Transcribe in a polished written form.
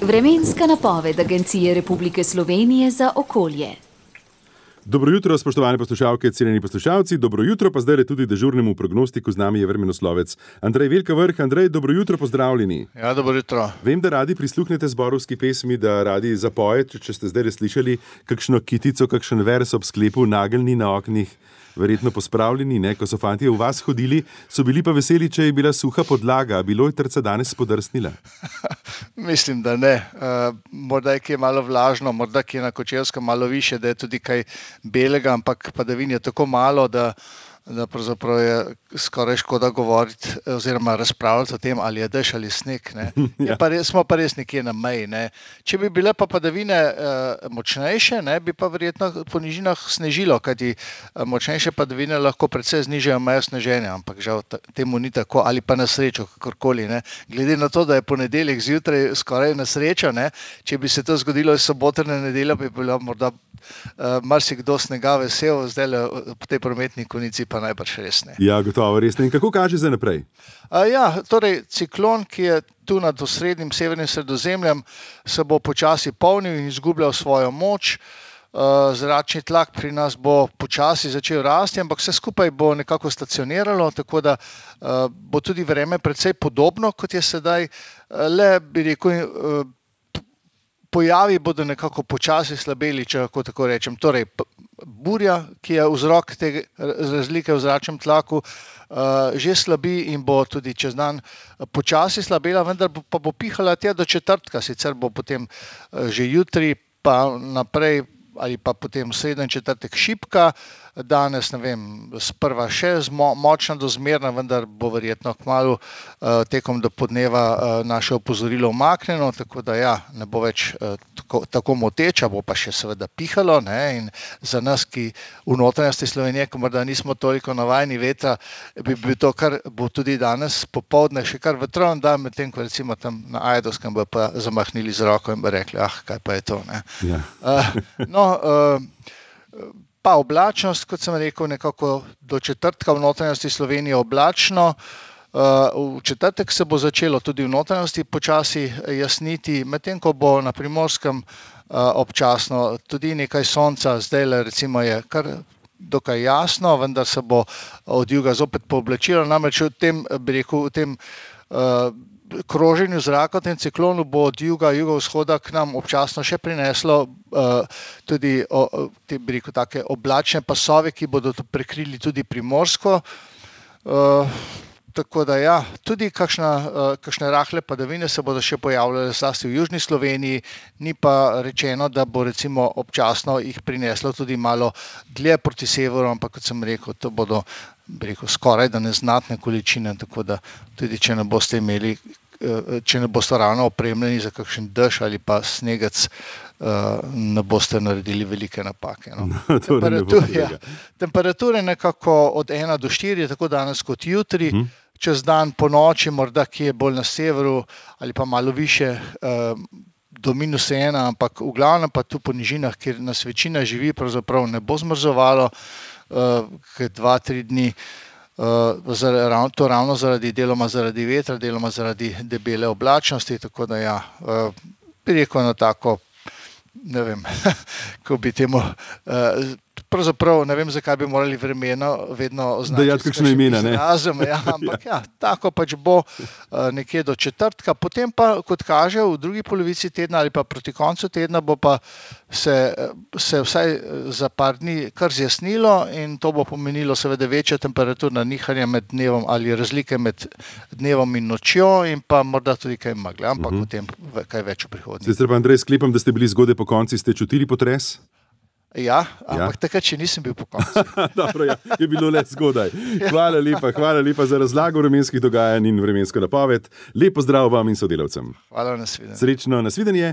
Vremenska napoved Agencije Republike Slovenije za okolje. Dobro jutro, spoštovane poslušalke, cenjeni poslušalci. Dobro jutro pa zdaj tudi dežurnemu prognostiku. Z nami je vremenoslovec Andrej Velka Vrh. Andrej, dobro jutro, pozdravljeni. Ja, dobro jutro. Vem, da radi prisluhnete zborovski pesmi, da radi zapojete, če ste zdaj slišali kakšno kitico, kakšen vers ob sklepu, nageljni na oknih, verjetno pospravljeni, ne? Ko so fantje v vas hodili, so bili pa veseli, če je bila suha podlaga. Bilo je trca danes podrsnila? Mislim, da ne. Morda je kje malo vlažno, morda kje na Kočevskem malo više, da je tudi kaj belega, ampak padavin je tako malo, da pravzaprav je skoraj škoda govoriti oziroma razpravljati o tem, ali je dež ali sneg. Ja. Smo pa res nekje na meji. Ne. Če bi bile pa padavine močnejše, ne, bi pa verjetno po nižinah snežilo, kajti močnejše padavine lahko precej znižajo mejo sneženja, ampak žal temu ni tako, ali pa na srečo, kakorkoli. Ne. Glede na to, da je ponedeljek zjutraj skoraj na srečo, ne, če bi se to zgodilo iz sobote na nedeljo, bi bilo morda marsikdo snega vesel, zdaj po tej prometni konici pa najbrž res ne. Ja, gotovo, res ne. In kako kaže za naprej? Torej, ciklon, ki je tu nad osrednjim severnim Sredozemljem, se bo počasi polnil in izgubljal svojo moč. Zračni tlak pri nas bo počasi začel rasti, ampak vse skupaj bo nekako stacioniralo, tako da bo tudi vreme precej podobno, kot je sedaj. Le bi rekel, pojavi bodo nekako počasi slabeli, če lahko tako rečem. Torej, burja, ki je vzrok te razlike v zračnem tlaku, že slabi in bo tudi čez dan počasi slabela, vendar pa bo pihala tja do četrtka, sicer bo potem že jutri pa naprej ali pa potem sreda in četrtek šibka. Danes, ne vem, sprva še močna do zmerna, vendar bo verjetno kmalu tekom do podneva naše opozorilo umaknjeno, tako da ja, ne bo več tako moteča, bo pa še seveda pihalo, ne, in za nas, ki v notranjosti Slovenije, ko morda nismo toliko navajeni vetra, bi bil to, kar bo tudi danes popoldne še kar vetroven dan, medtem ko recimo tam na Ajdovskem bo pa zamahnili z roko in bi rekli, kaj pa je to, ne. Ja. Pa oblačnost, kot sem rekel, nekako do četrtka v notranjosti Slovenije oblačno. V četrtek se bo začelo tudi v notranjosti počasi jasniti, medtem ko bo na Primorskem občasno tudi nekaj sonca. Zdajle recimo je kar dokaj jasno, vendar se bo od juga zopet pooblačilo. Namreč v tem, bi rekel, v tem kroženju zraka, v tem ciklonu bo od jugovzhoda k nam občasno še prineslo tudi bi rekel, take oblačne pasove, ki bodo prekrili tudi Primorsko. Tako da ja, tudi kakšne rahle padavine se bodo še pojavljale zlasti v južni Sloveniji, ni pa rečeno, da bo recimo občasno jih prineslo tudi malo dlje proti severu, ampak kot sem rekel, to bodo, bi rekel, skoraj da neznatne količine, tako da tudi če ne boste imeli, če ne boste ravno opremljeni za kakšen dež ali pa snegec, ne boste naredili velike napake. No. Temperature nekako od 1 do 4, tako danes kot jutri, čez dan po noči, morda kje bolj na severu ali pa malo više do -1, ampak v glavnem pa tu po nižinah, kjer nas večina živi, pravzaprav ne bo zmrzovalo, 2-3 dni. To ravno deloma zaradi vetra, deloma zaradi debele oblačnosti, tako da ja, bi rekel na tako, ne vem, ko bi temu, pravzaprav ne vem, zakaj bi morali vremeno vedno označiti kakšno imena, ne? Izrazom, ja, ampak ja, tako pač bo nekje do četrtka, potem pa, kot kaže, v drugi polovici tedna ali pa proti koncu tedna bo pa se vsaj za par dni kar zjasnilo in to bo pomenilo seveda večja temperaturna nihanja med dnevom ali razlike med dnevom in nočjo in pa morda tudi kaj megle, ampak o tem kaj več v prihodnje. Sicer pa, Andrej, sklepam, da ste bili zgodaj po konci, ste čutili potres? Ja, ampak takrat, če nisem bil po koncu. Dobro, ja, je bilo le zgodaj. Hvala lepa za razlago vremenskih dogajanj in vremensko napoved. Lep pozdrav vam in sodelavcem. Hvala, nasvidenje. Srečno, nasvidenje.